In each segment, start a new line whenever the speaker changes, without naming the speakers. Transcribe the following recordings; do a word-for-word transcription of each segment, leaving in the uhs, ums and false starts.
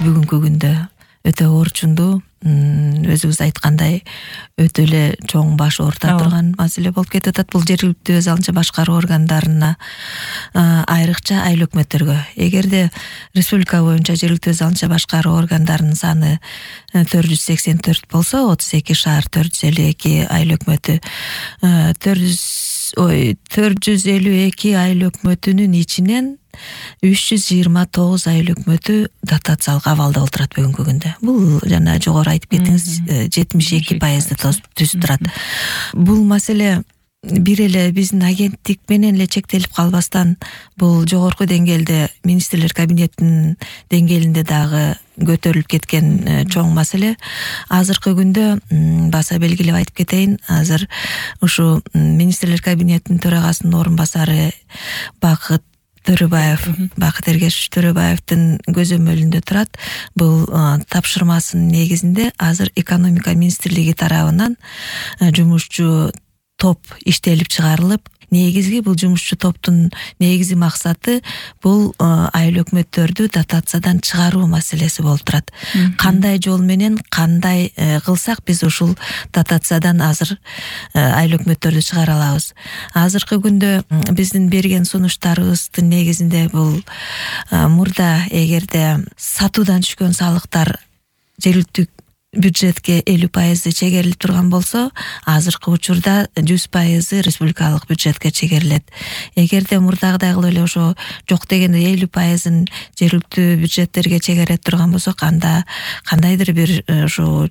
бүгүнкү күндө өтө орчундуу, өзүңүз айткандай өтө эле чоң баш оорута турган маселе болуп кетип атат. Бул жергиликтүү өз алынча башкаруу органдарына, айрыкча айыл өкмөттөргө. Эгерде республика боюнча жергиликтүү өз алынча башкаруу органдарынын саны төрт жүз сексен төрт болсо, отуз эки шаар, төрт жүз элүү эки айыл өкмөтү, төрт жүз элүү эки айыл өкмөтүнүн ичинен үч жүз жыйырма тогуз айыл өкмөтү дотациялык абалда отурат бүгүнкү күндө. Бул жана жогору айтып кеттиңиз, жетимиш эки пайызды түзүп турат. Бул маселе бир эле биздин агенттик менен эле чектелип калбастан, бул жогорку деңгээлде министрлер кабинетинин деңгээлинде дагы көтөрүлүп кеткен чоң маселе. Азыркы күндө баса белгилеп айтып кетейин, азыр ушу министрлер кабинетинин төрагасынын орун басары Бакыт Төрөбаев, Бакыт Эргешович Төрөбаевдин көзөмөлүндө турат. Бул тапшырмасынын негизинде азыр экономика министрлиги тарабынан жумушчу топ иштелип чыгарылып, негизги бул жумушчу топтун негизги максаты бул айыл өкмөттөрдү дотациядан чыгаруу маселеси болуп турат. Кандай жол менен, кандай кылсак биз ушул дотациядан азыр айыл өкмөттөрдү чыгара алабыз. Азыркы күндө биздин берген сунуштарыбыздын негизинде бул мурда эгерде сатуудан түшкөн салыктар жергиликтүү бюджетке элүү пайызы чегерилип турган болсо, азыркы учурда жүз пайызы республикалык бюджетке чегерилет. Эгерде мурдагыдай кылып эле ошо жок дегенде элүү пайызын жергиликтүү бюджеттерге чегере турган болсок, анда кандайдыр бир ушу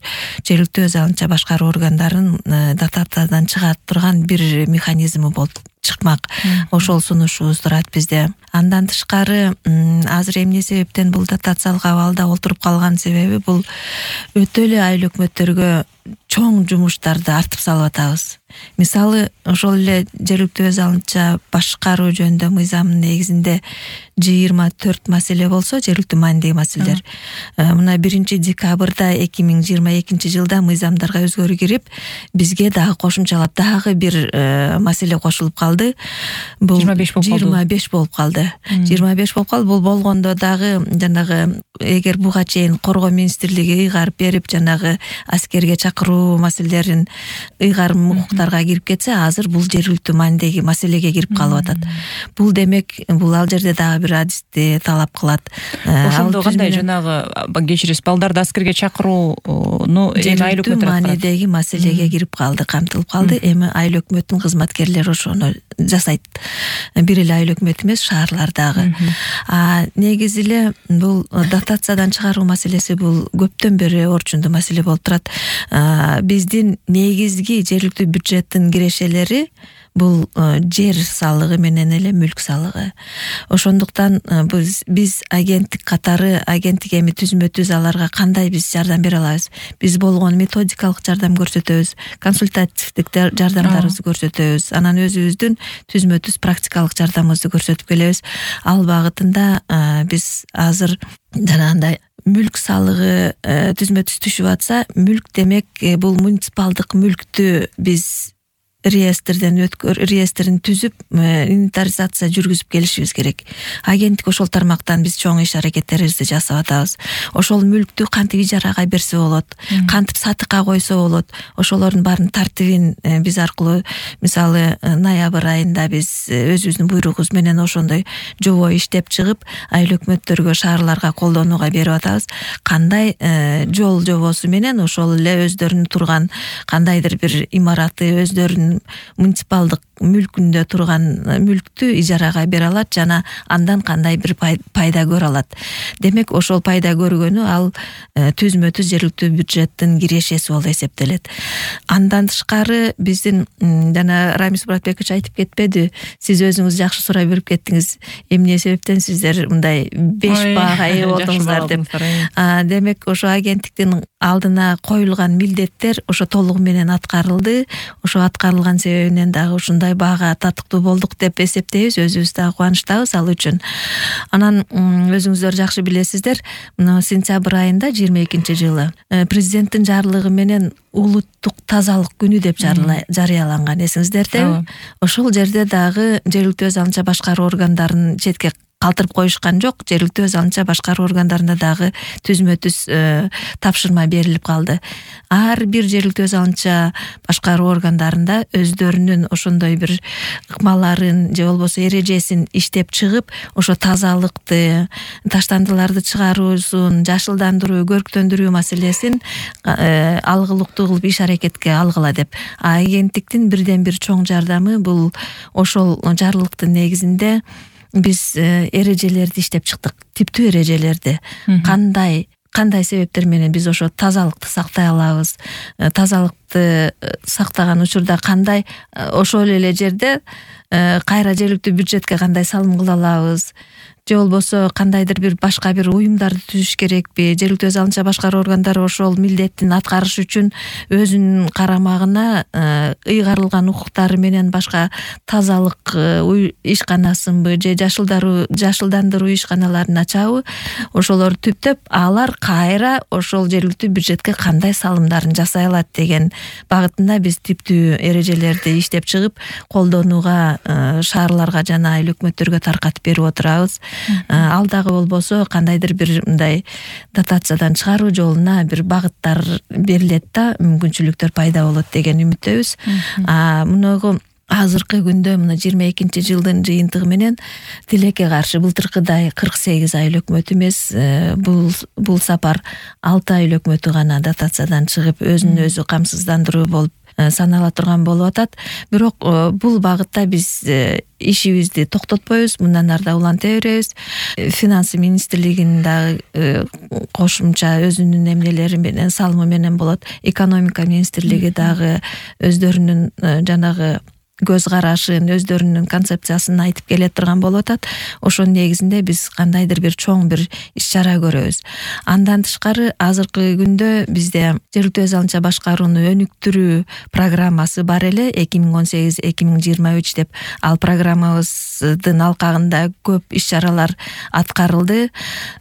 жергиликтүү өз алынча башкаруу органдарын дотациядан чыга турган бир механизми болуп чыкмак. Ошол сунушубуз турат бизде. Андан тышкары азыр эмне себептен бул дотациялык абалда отуруп калган себеби бул өтө эле айыл өкмөттөргө чоң жумуштарды артып салып атабыз. Мисалы, ошол эле жергиликтүү өз алынча башкаруу жөнүндө мыйзамдын негизинде жыйырма төрт маселе болсо, жергиликтүү маанидеги маселелер. Мына биринчи декабрда эки миң жыйырма экинчи жылда мыйзамдарга өзгөрүү кирип, бизге дагы кошумчалап дагы бир маселе кошулуп калды. Бул жыйырма беш болуп калды. жыйырма беш болуп калды. Бул болгондо дагы жанагы эгер буга чейин коргоо министрлиги ыйгарып берип, жанагы аскерге чакыруу маселелерин ыйгарым укуктарга кирип кетсе, азыр бул жергиликтүү маанидеги маселеге кирип калып атат. Бул демек, бул ал жерде дагы бир адисти талап кылат.
Ошондо кандай жанагы кечиресиз, балдарды аскерге чакырууну эми айыл өкмөтү
маанидеги маселеге кирип калды, камтылып калды. Эми айыл өкмөттүн кызматкерлери ошону жасайт. Бир эле айыл өкмөт эмес, шаарлардагы. А негизи эле бул дотациядан чыгаруу маселеси бул көптөн бери орчундуу маселе болуп турат. Биздин негизги жергиликтүү бюджеттин кирешелери бул жер салыгы менен эле мүлк салыгы. Ошондуктан биз биз агенттик катары, агенттик эми түзмө түз аларга кандай биз жардам бере алабыз? Биз болгон методикалык жардам көрсөтөбүз, консультативдик жардамдарыбызды көрсөтөбүз, анан өзүбүздүн түзмө түз практикалык жардамыбызды көрсөтүп келебиз. Ал багытында биз азыр жанагындай мүлк салыгы түзмө түз түшүп атса, мүлк демек бул муниципалдык мүлктү биз реестрден өткөр реестрин түзүп, инвентаризация жүргүзүп келишибиз керек. Агенттик ошол тармактан биз чоң иш аракеттерибизди жасап атабыз. Ошол мүлктү кантип ижарага берсе болот, кантип сатыкка койсо болот, ошолордун баарын тартибин биз аркылуу, мисалы ноябрь айында биз өзүбүздүн буйругубуз менен ошондой жобо иштеп чыгып, айыл өкмөттөргө, шаарларга колдонууга берип атабыз. Кандай жол жобосу менен ошол эле өздөрүнүн турган кандайдыр бир имараты, өздөрүнүн муниципалдык мүлкүндө турган мүлктү ижарага бере алат жана андан кандай бир пайда көрө алат. Демек, ошол пайда көргөнү ал түзмө түз жергиликтүү бюджеттин кирешеси болуп эсептелет. Андан тышкары биздин жана Рамис Муратбекович айтып кетпеди, сиз өзүңүз жакшы сурай берип кеттиңиз, эмне себептен сиздер мындай беш баага ээ болдуңуздар деп. Демек, ошо агенттиктин алдына коюлган милдеттер ошо толугу менен аткарылды. Ошо аткарылган себебинен дагы ушундай баага татыктуу болдук деп эсептейбиз, өзүбүз дагы кубанычтабыз ал үчүн. Анан өзүңүздөр жакшы билесиздер, мына сентябрь айында жыйырма экинчи жылы президенттин жарлыгы менен улуттук тазалык күнү деп жарыяланган, эсиңиздердеби? Ошол жерде дагы жергиликтүү өз алынча башкаруу органдарын четке калтырып коюшкан жок. Жергиликтүү өз алынча башкаруу органдарында дагы түзмө түз тапшырма берилип калды. Ар бир жергиликтүү өз алынча башкаруу органдарында өздөрүнүн ошондой бир ыкмаларын же болбосо эрежесин иштеп чыгып, ошо тазалыкты, таштандыларды чыгаруусун, жашылдандыруу, көрктөндүрүү маселесин алгылыктуу кылып иш аракетке алгыла деп. Агенттиктин бирден бир чоң жардамы бул ошол жарлыктын негизинде биз эрежелерди иштеп чыктык. Типтүү эрежелерди. Кандай кандай себептер менен биз ошо тазалыкты сактай алабыз, тазалыкты сактаган учурда кандай ошол эле жерде кайра жергиликтүү бюджетке кандай салым кыла алабыз, же болбосо кандайдыр бир башка бир уюмдарды түзүш керекпи? Жергиликтүү өз алынча башкаруу органдары ошол милдеттин аткарыш үчүн өзүнүн карамагына ыйгарылган укуктары менен башка тазалык ишканасынбы же жашылдаруу жашылдандыруу ишканаларын ачабы? Ошолорду түптөп, алар кайра ошол жергиликтүү бюджетке кандай салымдарын жасай алат деген багытында биз типтүү эрежелерди иштеп чыгып, колдонууга шаарларга жана айыл өкмөттөргө таркатып берип отурабыз. Ал дагы болбосо кандайдыр бир мындай дотациядан чыгаруу жолуна бир багыттар берилет да, мүмкүнчүлүктөр пайда болот деген үмүттөбүз. А мунугу азыркы күндө мына жыйырма экинчи жылдын жыйынтыгы менен тилекке каршы былтыркыдай кырк сегиз айыл өкмөт эмес, бул бул сапар алты айыл өкмөтү гана дотациядан чыгып өзүн өзү камсыздандыруу болуп санала турган болуп атат. Бирок бул багытта биз ишибизди токтотпойбуз, мындан ары да уланта беребиз. Финансы министрлигинин дагы кошумча өзүнүн эмнелери менен, салымы менен болот. Экономика министрлиги дагы өздөрүнүн жанагы көз карашын, өздөрүнүн концепциясын айтып келе турган болуп атат. Ошонун негизинде биз кандайдыр бир чоң бир иш чара көрөбүз. Андан тышкары азыркы күндө бизде жергиликтүү өз алынча башкарууну өнүктүрүү программасы бар эле, эки миң он сегиз эки миң жыйырма үч деп. Ал программабыздын алкагында көп иш чаралар аткарылды.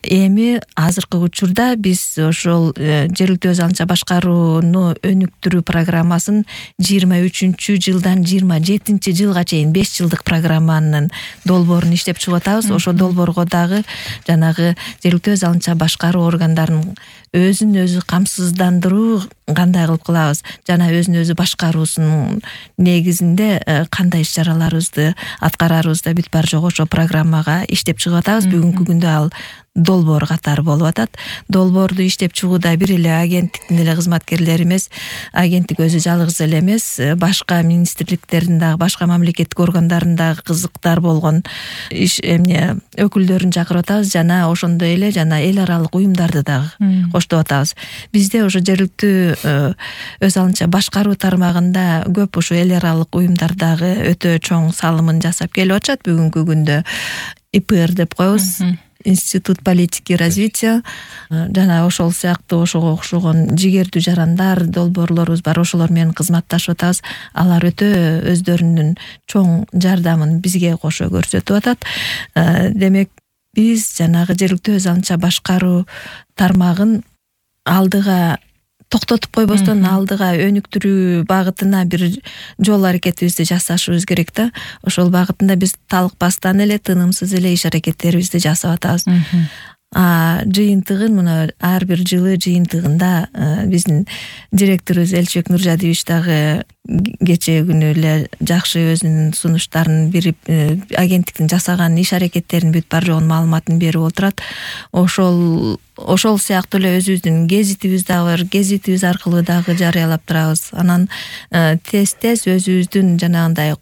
Эми азыркы учурда биз ошол жергиликтүү өз алынча башкарууну өнүктүрүү программасын жыйырма үчүнчү жылдан жыйырма жетинчи жылга чейин беш жылдык программанын долбоорун иштеп чыгып атабыз. Ошо долбоорго дагы жанагы жергиликтүү өз алынча башкаруу органдарынын өзүн өзү камсыздандыруу кандай кылып кылабыз жана өзүн өзү башкаруусунун негизинде кандай иш чараларыбызды аткарарыбызда бүт бар жок ошо программага иштеп чыгып атабыз. Бүгүнкү күндө ал долбоор катары болуп атат. Долбоорду иштеп чыгууда бир эле агенттиктин эле кызматкерлери эмес, агенттик өзү жалгыз эле эмес, башка министрликтердин дагы, башка мамлекеттик органдарындагы кызыктар болгон иш эмне өкүлдөрүн чакырып атабыз жана ошондой эле жана эл аралык уюмдарды дагы коштоп атабыз. Бизде ошо жергиликтүү өз алынча башкаруу тармагында көп ошо эл аралык уюмдар дагы өтө чоң салымын жасап келип атышат. Бүгүнкү күндө И П Р деп коебуз, Институт политики развития, жана ошол сыяктуу ошого окшогон жигердүү жарандар, долбоорлорубуз бар, ошолор менен кызматташып атабыз. Алар өтө өздөрүнүн чоң жардамын бизге кошо көрсөтүп атат. Демек биз жанагы жергиликтүү өз алынча башкаруу тармагын алдыга токтотуп койбостон алдыга өнүктүрүү багытына бир жол аракетибизди жасашыбыз керек да. Ошол багытында биз талыкпастан эле, тынымсыз эле иш аракеттерибизди жасап атабыз. А жыйынтыгын мына ар бир жылы жыйынтыгында биздин директорубуз Элчибек Нуржадиевич дагы кечээ күнү эле жакшы өзүнүн сунуштарын берип, агенттиктин жасаган иш аракеттерин бүт бар жогун маалыматын берип отурат. Ошол ошол сыяктуу эле өзүбүздүн гезитибиз дагы бар, гезитибиз аркылуу дагы жарыялап турабыз. Анан тез-тез өзүбүздүн жанагындай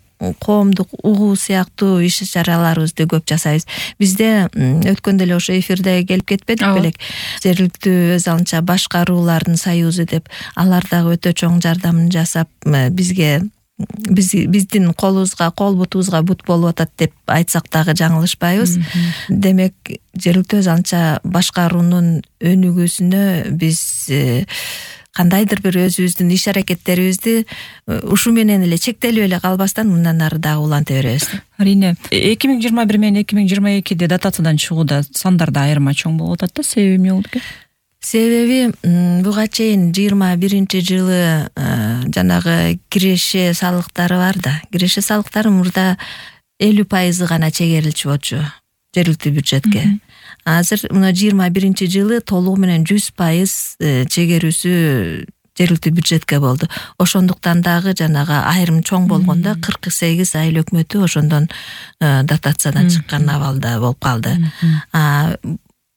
коомдук угуу сыяктуу иш чараларыбызды көп жасайбыз. Бизде өткөндө эле ошо эфирде келип кетпедик белек, жергиликтүү өз алынча башкаруулардын союзу деп, алар дагы өтө чоң жардамын жасап бизге биз биздин колубузга, кол бутубузга бут болуп атат деп айтсак дагы жаңылышпайбыз. Демек жергиликтүү өз алынча башкаруунун өнүгүүсүнө биз кандайдыр бир өзүбүздүн иш аракеттерибизди ушу менен эле чектелип эле калбастан мындан ары дагы уланта беребиз.
Арине, эки миң жыйырма бир менен эки миң жыйырма экиде дотациядан чыгууда сандарда айырма чоң болуп атат да. Себеби эмне болду экен?
Себеби буга чейин жыйырма биринчи жылы жанагы киреше салыктары бар да. Киреше салыктары мурда элүү пайызы гана чегерилчү болчу. жергиликтүү бюджетке. Азыр мына жыйырма биринчи жылы толугу менен жүз пайыз чегерүүсү жергиликтүү бюджетке болду. Ошондуктан дагы жанагы айрым чоң болгондо кырк сегиз айыл өкмөтү ошондон дотациядан чыккан абалда болуп калды.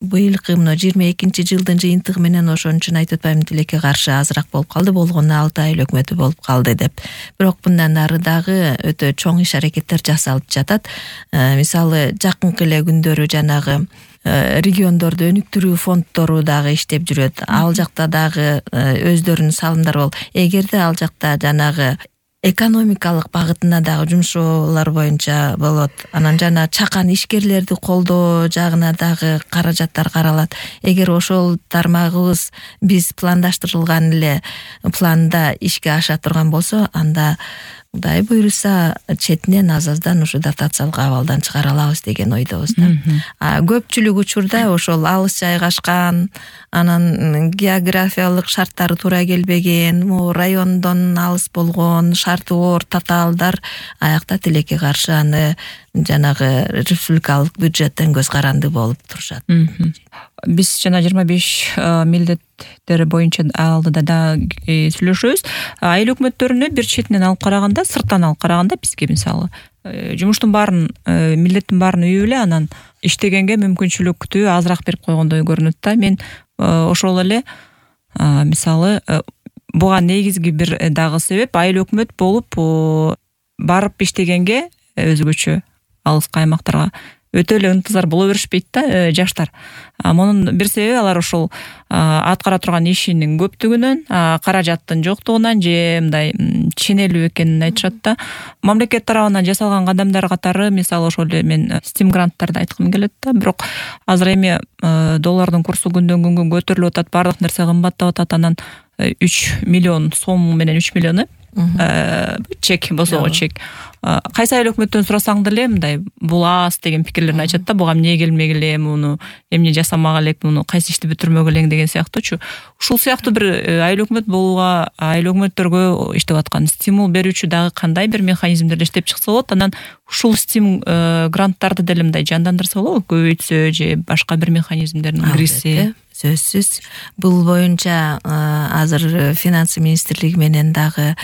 Быйылкы мына жыйырма экинчи жылдын жыйынтыгы менен ошон үчүн айтып атпаймынбы, тилекке каршы азыраак болуп калды, болгону алты айыл өкмөтү болуп калды деп. Бирок мындан ары дагы өтө чоң иш аракеттер жасалып жатат. Мисалы жакынкы эле күндөрү жанагы региондорду өнүктүрүү фонддору дагы иштеп жүрөт. Ал жакта дагы өздөрүнүн салымдары бол. Эгерде ал жакта жанагы экономикалык багытына дагы жумшоолор боюнча болот. Анан жана чакан ишкерлерди колдоо жагына дагы каражаттар каралат. Эгер ошол тармагыбыз биз пландаштырылган эле планда ишке аша турган болсо, анда Кудай буйруса четинен аз-аздан ушу дотациялык абалдан чыгара алабыз деген ойдобуз да. А көпчүлүк учурда ошол алыс жайгашкан, анан географиялык шарттары туура келбеген, могу райондон алыс болгон, шарты оор татаалдар аякта тилекке каршы аны жанагы республикалык бюджеттен көз каранды болуп турушат.
Биз жана жыйырма беш милдеттери боюнча алдыда да сүйлөшөбүз. Айыл өкмөттөрүнө бир четинен алып караганда, сырттан алып караганда бизге мисалы жумуштун баарын, милдеттин баарын үйүп эле анан иштегенге мүмкүнчүлүктү азыраак берип койгондой көрүнөт да. Мен ошол эле мисалы буга негизги бир дагы себеп айыл өкмөт болуп барып иштегенге өзгөчө алыска аймактарга өтө эле ынтызар боло беришпейт да жаштар. Мунун бир себеби алар ошол аткара турган ишинин көптүгүнөн, каражаттын жоктугунан же мындай ченелүү экенин айтышат да. Мамлекет тарабынан жасалган кадамдар катары, мисалы ошол эле мен стим гранттарды айткым келет да. Бирок азыр эми доллардын курсу күндөн күнгө көтөрүлүп атат, баардык нерсе кымбаттап атат. Анан үч миллион сом менен үч миллиону чек босого чек. Кайсы айыл өкмөттөн сурасаң деле мындай бул аз деген пикирлерин айтышат да. Буга эмне келмек эле, муну эмне жасамак элек, муну кайсы ишти бүтүрмөк элең деген сыяктуучу. Ушул сыяктуу бир айыл өкмөт болууга, айыл өкмөттөргө иштеп аткан стимул берүүчү дагы кандай бир механизмдерди иштеп чыкса болот. Анан ушул стим гранттарды деле мындай жандандырса болобу, көбөйтсө же башка бир механизмдерин киргизсе.
Сөзсүз бул боюнча азыр финансы министрлиги менен дагы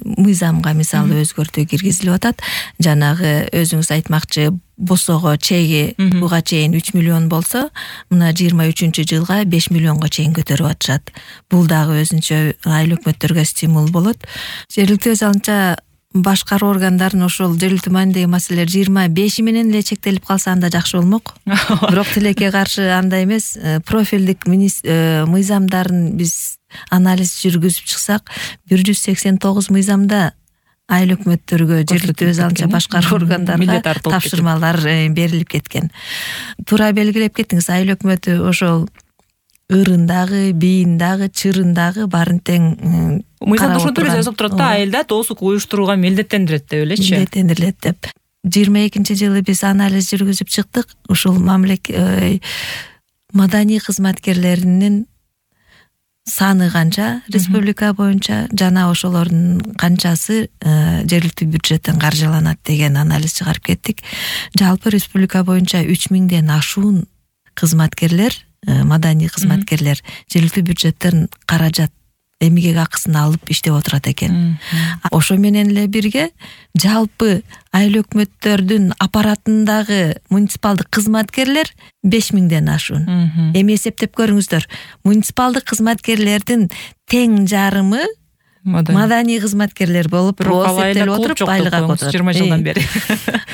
мыйзамга мисалы өзгөртүү киргизилип атат. Жанагы өзүңүз айтмакчы босого чеги буга чейин үч миллион болсо, мына жыйырма үчүнчү жылга беш миллионго чейин көтөрүп атышат. Бул дагы өзүнчө айыл өкмөттөргө стимул болот. Жергиликтүү өз алынча башкаруу органдарын ошол жергиликтүү маанидеги маселелер жыйырма беши менен эле чектелип калса анда жакшы болмок. Бирок тилекке каршы андай эмес, профилдик мыйзамдарын биз анализ жүргүзүп чыксак, бир жүз сексен тогуз мыйзамда айыл өкмөттөргө, жергиликтүү өз алынча башкаруу органдарына тапшырмалар берилип кеткен. Туура белгилеп кеттиңиз, айыл өкмөтү ошол ырындагы, бийиндагы, чырындагы баарын тең
мыйзамда ошентип жазылып турат да, айылда тоосук уюштурууга милдеттендирет деп элечи.
Милдеттендирилет деп. жыйырма экинчи жылы биз анализ жүргүзүп чыктык. Ушул мамлекет маданий кызматкерлеринин саны канча республика боюнча, жана ошолордун канчасы жергиликтүү бюджеттен каржыланат деген анализ чыгарып кеттик. Жалпы республика боюнча үч миңден ашуун кызматкерлер, маданий кызматкерлер жергиликтүү бюджеттен каражат, эмгек акысын алып иштеп отурат экен. Ошо менен эле бирге жалпы айыл өкмөттөрдүн аппаратындагы муниципалдык кызматкерлер беш миңден ашуун. Эми эсептеп көрүңүздөр, муниципалдык кызматкерлердин тең жарымы маданий кызматкерлер болуп эсептелип отуруп айлык алып отурат.
жыйырма жылдан бери.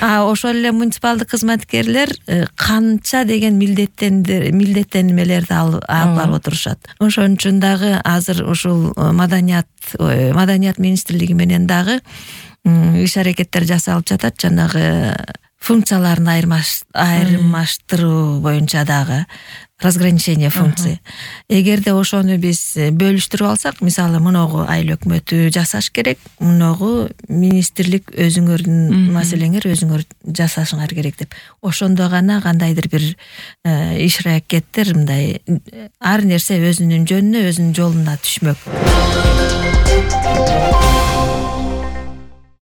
А ошол эле муниципалдык кызматкерлер канча деген милдеттенмелерди алып барып отурушат. Ошон үчүн дагы азыр ушул маданият маданият министрлиги менен дагы иш аракеттер жасалып жатат. Жанагы функцияларын айырмаштыруу боюнча дагы разграничение функций. Эгерде ошону биз бөлүштүрүп алсак, мисалы мыногу айыл өкмөтү жасаш керек, мыногу министрлик өзүңөрдүн маселеңер өзүңөр жасашыңар керек деп. Ошондо гана кандайдыр бир иш аракеттер мындай ар нерсе өзүнүн жөнүнө, өзүнүн жолуна түшмөк.